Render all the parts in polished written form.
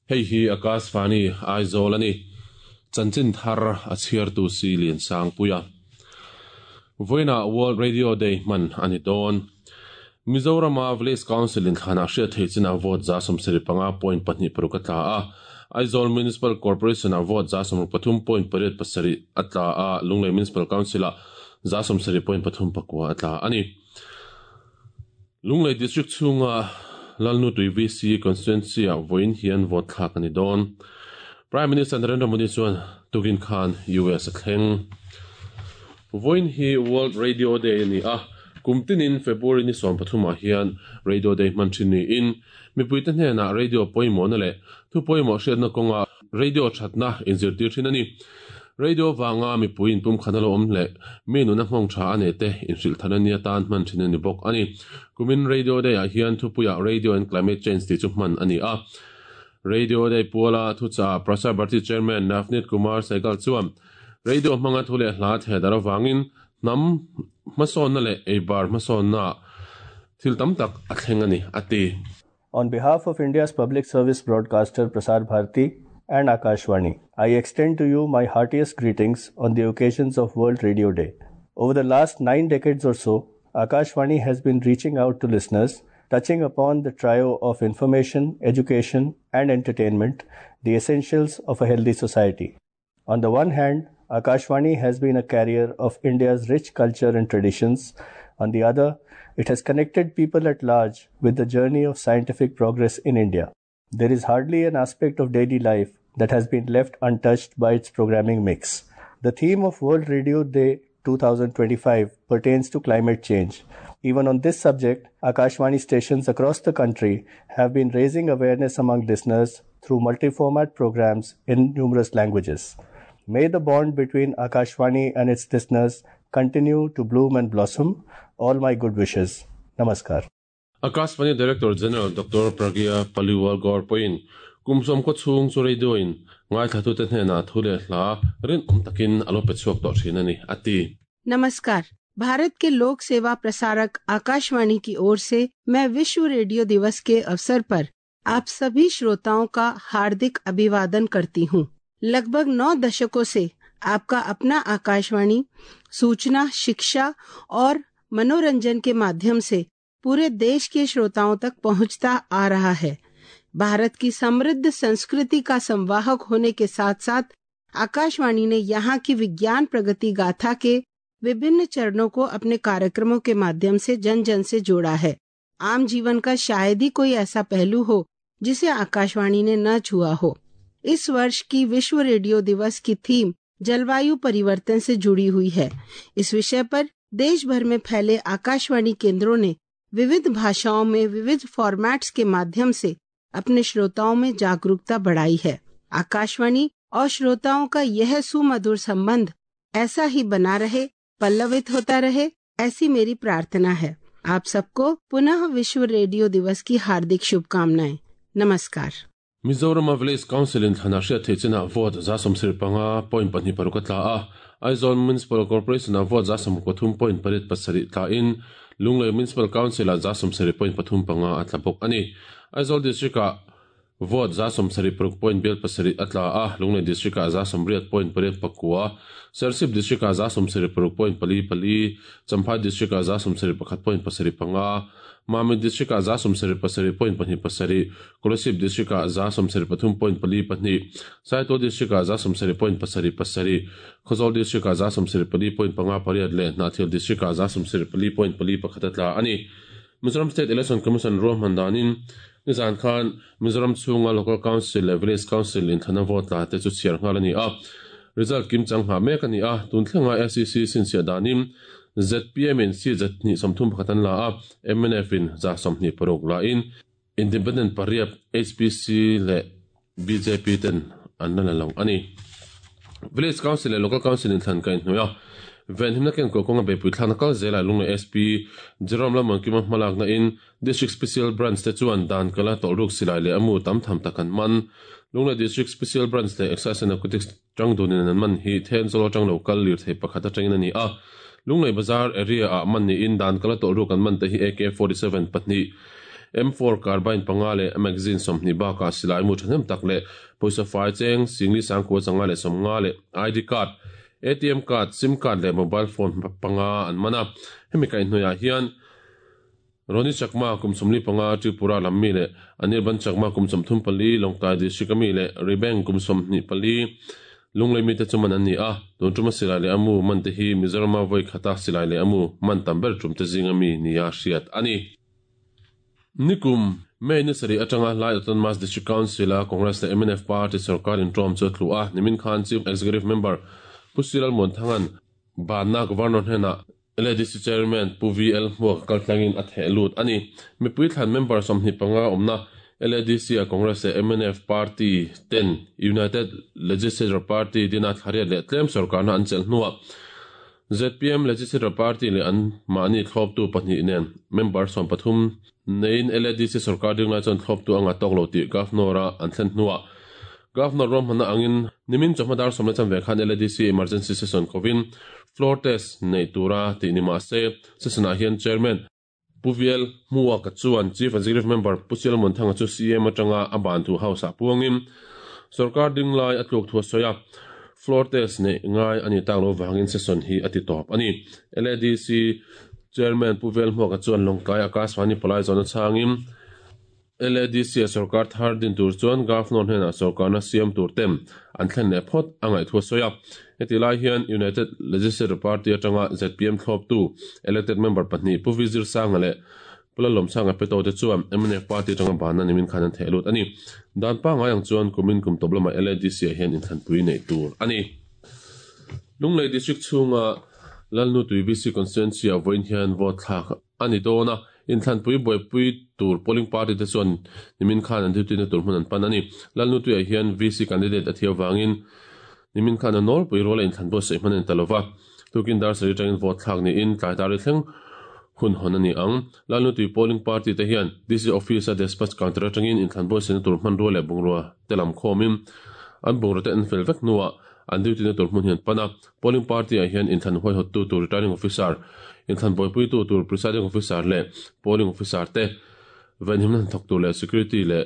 Hei hi Akashvani Aizawl a ni. Chanchin thar a chhiartu si Liansangpuia. Vawiinah World Radio Day hman a ni dawn. Mizorama Village Council inthlanah hriat theih chinah vote 75.26 a tla a, Aizawl Municipal Corporation-ah vote 63.87 a tla a, Lunglei Municipal Council-ah 70.39 a tla a ni. Lunglei District chhunga Lalnutui VC Constituency-ah vawiin hian vote thlak a ni dawn. Prime Minister Narendra Modi chuan tukin khan US a thleng. Vawiin hi World Radio Day a ni a, kum tinin February ni 13 ah hian Radio Day hman thin niin mipuite hnenah radio pawimawhna leh thu pawimawh hriatna kawnga radio thatna inzirtir thin a ni. Radio vanga mipui inpumkhat a lo awm leh mi nuna nghawng tha a nei te inhrilh than a nia tan hman thin a ni bawk a ni. Kumin Radio Day ah hian thupuiah Radio and Climate Change tih chu hman a ni a. Radio Day puala thuchah Prasar Bharati Chairman Navneet Kumar Sehgal chuan Radio hmanga thu leh hla theh dar avangin hnam hmasawnna leh eibar hmasawnna thil tam tak a thleng a ni, a ti. On behalf of India's public service broadcaster Prasar Bharati and Akashvani, I extend to you my heartiest greetings on the occasions of World Radio Day. Over the last 9 decades or so, Akashvani has been reaching out to listeners, touching upon the trio of information, education and entertainment, the essentials of a healthy society. On the one hand, Akashvani has been a carrier of India's rich culture and traditions. On the other, it has connected people at large with the journey of scientific progress in India. There is hardly an aspect of daily life that has been left untouched by its programming mix. The theme of World Radio Day 2025 pertains to climate change. Even on this subject, Akashvani stations across the country have been raising awareness among listeners through multi-format programs in numerous languages. May the bond between Akashvani and its listeners continue to bloom and blossom. All my good wishes. Namaskar. Akashvani Director General Dr. Pragya Paliwal Gaur pawhin kum 90 chhung chu radio-in ngaithlatute hnenah thu leh hla rinawm takin a lo pe chhuak tawh thin a ni, a ti. नमस्कार भारत के लोक सेवा प्रसारक आकाशवाणी की ओर से मैं विश्व रेडियो दिवस के अवसर पर आप सभी श्रोताओं का हार्दिक अभिवादन करती हूँ। लगभग 9 दशकों से आपका अपना आकाशवाणी सूचना, शिक्षा और मनोरंजन के माध्यम से पूरे देश के श्रोताओं तक पहुंचता आ रहा है। भारत की समृद्ध संस्कृति का संवाहक होने के साथ साथ आकाशवाणी ने यहाँ की विज्ञान प्रगति गाथा के विभिन्न चरणों को अपने कार्यक्रमों के माध्यम से जन जन से जोड़ा है। आम जीवन का शायद ही कोई ऐसा पहलू हो जिसे आकाशवाणी ने न छुआ हो। इस वर्ष की विश्व रेडियो दिवस की थीम जलवायु परिवर्तन से जुड़ी हुई है। इस विषय पर देश भर में फैले आकाशवाणी केंद्रों ने विविध भाषाओं में विविध फॉर्मेट्स के माध्यम से अपने श्रोताओं में जागरूकता बढ़ाई है। आकाशवाणी और श्रोताओं का यह सुमधुर संबंध ऐसा ही बना रहे, पल्लवित होता रहे, ऐसी मेरी प्रार्थना है। आप सबको पुनः विश्व रेडियो दिवस की हार्दिक शुभकामनाएं। नमस्कार। Mizoram Village Council in thlanah hriat theih chinah vote 75.26 a tla a, Aizawl Municipal Corporation ah vote 63.87 tla in Lunglei Municipal Council ah 70.35 a tla bawk a ni. Aizawl District ah vote 76.7 a tla a, Lunglei District ah 88.89, Serchhip District ah 76.44, Champhai District ah 71.75, Mamit District ah 77.27, Kolasib District ah 73.42, Saitual District ah 70.77, Khawzawl District ah 74.58 leh Hnahthial District ah 74.41 a tla a ni. Mizoram State Election Commission ruahman danin nizan khan Mizoram chhunga Local Council leh Village Council inthlana vote tla te chu chhiar nghal a ni a. Result kim chang nghah mek a ni a, tun thlenga SEC sinchhiah danin ZPM in seat 131 an la a, mnf in 26 la in Independent pariat HPC leh bjp ten an la la lo a ni. Village Council leh Local Council inthlan ka inhnuai a, venhimna kenkaw kawnga beipui thlakna kal zelah Lunglei SP Jerome Lalmuankima hmalakna in District Special Branch te chuan dan kala tawlhruk silai leh a mu tam tham tak an man. Lunglei District Special Branch leh Excise and Narcotics tangdunin an man hi Thenzawl atang lo kal lirthei pakhat atangin a ni a. Lunglei Bazar area ah man niin dan kala tawlh ruk an man te hi AK-47 pahnih, M4 carbine panga leh magazine 20 bakah silai mu thahnem tak leh pawisa fai cheng singli sangkua zanga leh 50 leh ID card, ATM card, sim card leh mobile phone panga an man a. Hemi kaihhnawih ah hian Roni Chakma kum 45 Tripura lam mi leh Anirban Chakma kum 34 Lawngtlai District ami leh Ribeng kum 24 Lunglei mite chu man an ni a. Tun tuma silai leh a mu man te hi Mizorama vawi khata silai leh a mu man tam ber tum te zinga mi nia hriat a ni. Nikum May ni sarih atanga Lai Autonomous District Council a Congress leh mnf party sorkar intawm chu a tlu a. Nimin khan Chief Executive Member Pu Sir Lalmuanthanga'n banna Governor hnenah LADC Chairman Pu VL Hmuaka kaltlangin a theh lut a ni. Mipui thlan member 25 awmna LADC-a Congress leh mnf party ten United Legislature Party dina thlariat leh tlem sorkarna an chelh hnuah zpm Legislature Party leh an mahni thlawptu pahnih nen member 13 neiin LADC sorkar ding lai chuan thlawptu a ngah tawk lo tih Governor-a an thlen hnuah Governor ruahmanna angin nimin chawhma dar sawm leh chanve khan LADC emergency session kovin floor test neih tura tih ni mah se session-ah hian Chairman Pu VL Hmuaka chuan Chief Executive Member Pu Sialmuan Thanga chu CM atanga a ban thu House-ah puangin sorkar ding lai a tluk thu a sawi a, floor test neih ngai a ni tak lo vangin session hi a ti tawp a ni. LADC Chairman Pu VL Hmuaka chuan Lawngtlai Akashvani palai zawhna chhangin LADC a sorkar thar din tur chuan Governor hnenah sorkarna siam tur te an thlen leh phawt a ngaih thu a sawi a. Heti lai hian United Legislature Party atanga zpm thlawptu elected member pahnih Pu Vizir Sanga leh Pu Lalawmsanga Peto te chuan mnf party atanga banna nimin khan an theh lut a ni. Dan pangngai ang chuan kumin kum tawp lamah LADC ah hian inthlanpui neih tur a ni. Lunglei District chhunga Lalnutui VC Constituency ah vawiin hian vote thlak a ni dawn a, inthlanpui buaipui tur polling party te chuan nimin khan an duty na tur hmun an pan a ni. Lalnutuiah hian VC candidate a thiau vangin nimin khan a nawlpui ruala inthlan buatsaih hman a ni ta lova. Tukin dar sarih atangin vote thlak niin tlai dar ri thleng hun hawn a ni ang. Lalnutui polling party te hian DC office a despatch counter atangin inthlan buatsaihna tur hmanrua leh bungrua te lam khawmin an bungrua te an fel vek hnuah an duty na tur hmun hi an pan a. Polling party ah hian inthlan huaihawttu tur returning officer, inthlan buaipuitu tur presiding officer leh polling officer te, venhimna hnathawk tur leh security leh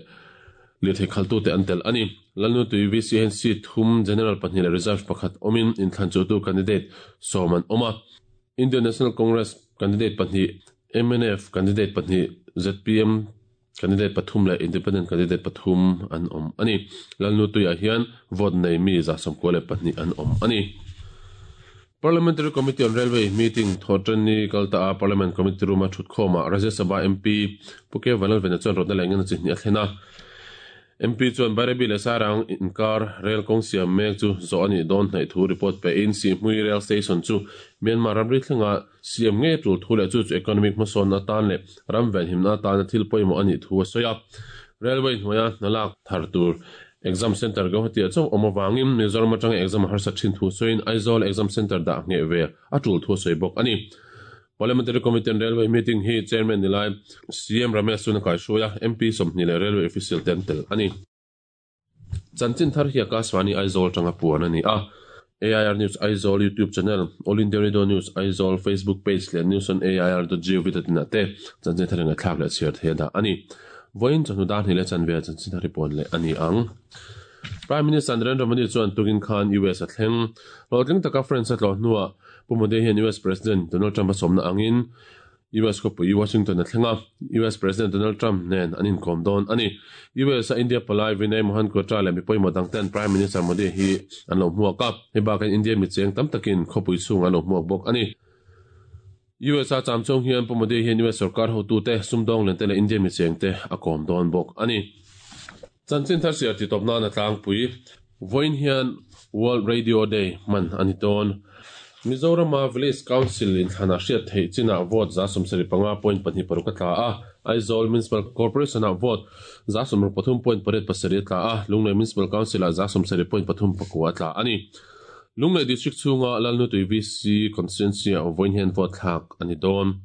lirthei khaltu te an tel a ni. Lalnutui VC hian seat thum, general pahnih leh reserve pakhat awmin inthlan chuhtu candidate 10 an awm a. Indian National Congress candidate pahnih, mnf candidate pahnih, zpm candidate pathum leh independent candidate pathum an awm a ni. Lalnutuiah hian vote nei mi 92 an awm a ni. Parliamentary Committee on Railway meeting thawhṭanni kal ta a Parliament Committee room a thut khawmah Rajya Sabha MP Pu K Vanlalvena chuan rawtna leh engemaw chi hnih a thlen a. MP chuan Bairabi leh Sairang inkar rel kawng siam mek chu zawh a nih dawn hnaih thu report pehin Sihhmui Rail Station chu Myanmar ramri thlenga siam ngei tul thu leh chu chu economic hmasawnna atan leh ram venhimna atana thil pawimawh a nih thu a sawi a. Railway hnuaia hna lak thar tur exam centre Guwahati ah chauh awm avangin Mizoram atanga exam a harsat thin thu sawiin Aizawl exam centre dah ngheh ve a tul thu a sawi bawk a ni. Parliamentary Committee on Railway meeting hi Chairman ni lai CM Ramesh chuan a kaihruai a, MP 20 leh Railway official te an tel a ni. Chanchin thar hi Akashvani Aizawl atanga puan a ni a. AIR News Aizawl YouTube channel, All India Radio News Aizawl Facebook page leh News on AIR dot gov dot in ah te chanchin thar ngaihthlak leh chhiar thei a dah a ni. Vawiin chawhnu dar hnih leh chanve ah chanchin thar hi puan leh a ni ang. Prime Minister Narendra Modi chuan tukin khan US a thleng. Hlawhtling taka France a tlawh hnuah Pu Modi hian US President Donald Trump a sawmna angin US khawpui Washington a thleng a, US President Donald Trump nen an inkawm dawn a ni. US a India palai Vinay Mohan Kwatra leh mi pawimawh dang ten Prime Minister Modi hi an lo hmuak a, hei bakin India mi cheng tam takin khawpui chhung an lo hmuak bawk a ni. US a cham chhung hian Pu Modi hian US sorkar hotute, sumdawng lian te leh India mi cheng te a kawm dawn bawk a ni. Chanchin thar siar ti tawp nan a tlangpui. Vawiin hian World Radio Day hman a ni dawn. Mizorama Village Council inthlanah hriat theih chinah vote 75.26 a tla a, Aizawl Municipal Corporation-ah vote 63.87 a tla a, Lunglei Municipal Council-ah 70.39 a tla a ni. Lunglei District chhunga Lalnutui VC Constituency-ah vawiin hian vote thlak a ni dawn.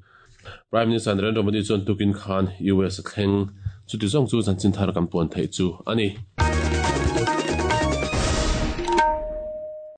Prime Minister Narendra Modi chuan tukin khan US a thleng. Chuti zawng chu chanchin thar kan puan theih chu a ni.